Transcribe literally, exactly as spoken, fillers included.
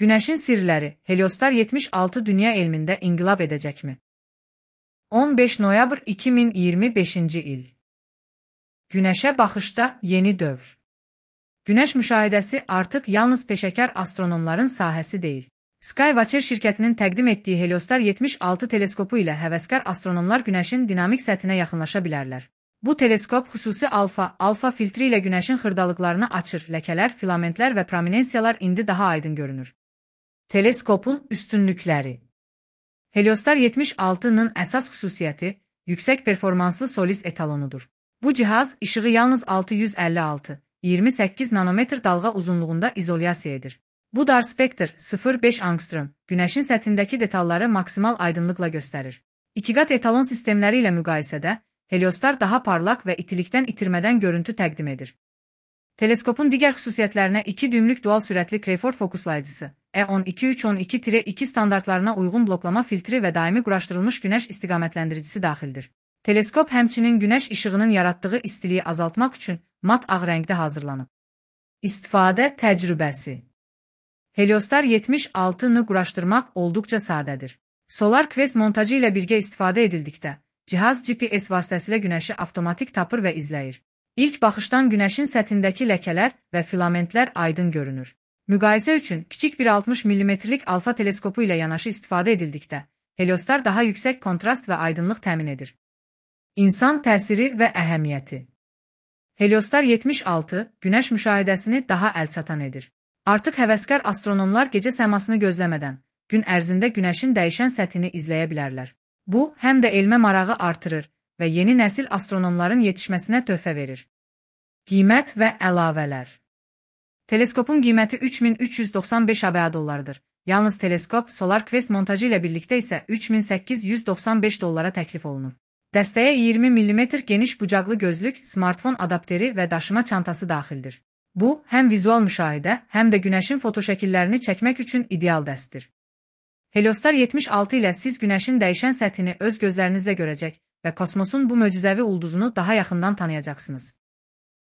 Günəşin sirləri, Heliostar yetmiş altı dünya elmində inqilab edəcəkmi? on beş noyabr iki min iyirmi beşinci il. Günəşə baxışda yeni dövr. Günəş müşahidəsi artıq yalnız peşəkar astronomların sahəsi deyil. Skywatcher şirkətinin təqdim etdiyi Heliostar yetmiş altı teleskopu ilə həvəskar astronomlar Günəşin dinamik səthinə yaxınlaşa bilərlər. Bu teleskop xüsusi alfa, alfa filtri ilə Günəşin xırdalıqlarını açır, ləkələr, filamentlər və prominensiyalar indi daha aydın görünür. Teleskopun üstünlükləri. Heliostar yetmiş altının əsas xüsusiyyəti yüksək performanslı Solis etalonudur. Bu cihaz işığı yalnız altı yüz əlli altı iyirmi səkkiz nanometr dalğa uzunluğunda izolyasiya edir. Bu dar spektr sıfır nöqtə beş angstrom Günəşin səthindəki detalları maksimal aydınlıqla göstərir. İkiqat etalon sistemləri ilə müqayisədə Heliostar daha parlaq və itilikdən itirmədən görüntü təqdim edir. Teleskopun digər xüsusiyyətlərinə iki düymlük dual sürətli Crayford fokuslayıcısı, E on iki üç on iki iki standartlarına uyğun bloklama filtri və daimi quraşdırılmış günəş istiqamətləndiricisi daxildir. Teleskop həmçinin günəş işığının yaratdığı istiliyi azaltmaq üçün mat ağ rəngdə hazırlanıb. İstifadə təcrübəsi. Heliostar yetmiş altını quraşdırmaq olduqca sadədir. Solar Quest montajı ilə birgə istifadə edildikdə, cihaz G P S vasitəsilə günəşi avtomatik tapır və izləyir. İlk baxışdan günəşin səthindəki ləkələr və filamentlər aydın görünür. Müqayisə üçün kiçik bir altmış millimetrlik alfa teleskopu ilə yanaşı istifadə edildikdə, Heliostar daha yüksək kontrast və aydınlıq təmin edir. İnsan təsiri və əhəmiyyəti. Heliostar yetmiş altı günəş müşahidəsini daha əlçatan edir. Artıq həvəskar astronomlar gecə səmasını gözləmədən, gün ərzində günəşin dəyişən səthini izləyə bilərlər. Bu, həm də elmə marağı artırır və yeni nəsil astronomların yetişməsinə töhfə verir. Qiymət və əlavələr. Teleskopun qiyməti üç min üç yüz doxsan beş ABŞ dollarıdır. Yalnız teleskop Solar Quest montajı ilə birlikdə isə üç min səkkiz yüz doxsan beş dollara təklif olunur. Dəstəyə iyirmi millimetr geniş bucaqlı gözlük, smartfon adapteri və daşıma çantası daxildir. Bu, həm vizual müşahidə, həm də günəşin fotoşəkillərini çəkmək üçün ideal dəstdir. Heliostar yetmiş altı ilə siz günəşin dəyişən səthini öz gözlərinizlə görəcək və kosmosun bu möcüzəvi ulduzunu daha yaxından tanıyacaqsınız.